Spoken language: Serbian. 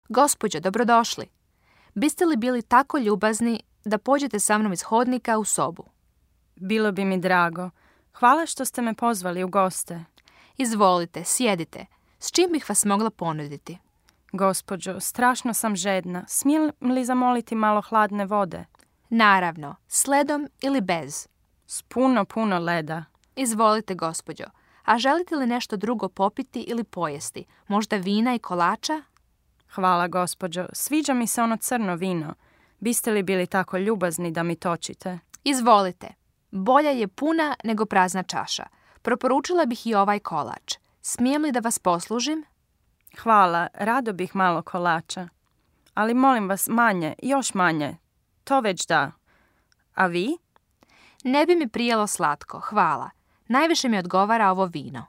Gospođo, dobrodošli. Biste li bili tako ljubazni da pođete sa mnom iz hodnika u sobu? Bilo bi mi drago. Hvala što ste me pozvali u goste. Izvolite, sjedite. S čim bih vas mogla ponuditi? Gospođo, strašno sam žedna. Smijem li zamoliti malo hladne vode? Naravno, s ledom ili bez. S puno leda. Izvolite, gospođo. A želite li nešto drugo popiti ili pojesti? Možda vina i kolača? Hvala, gospođo. Sviđa mi se ono crno vino. Biste li bili tako ljubazni da mi točite? Izvolite. Bolja je puna nego prazna čaša. Proporučila bih i ovaj kolač. Smijem li da vas poslužim? Hvala, rado bih malo kolača. Ali molim vas manje, još manje. To već da. A vi? Ne bi mi prijelo slatko, hvala. Najviše mi odgovara ovo vino.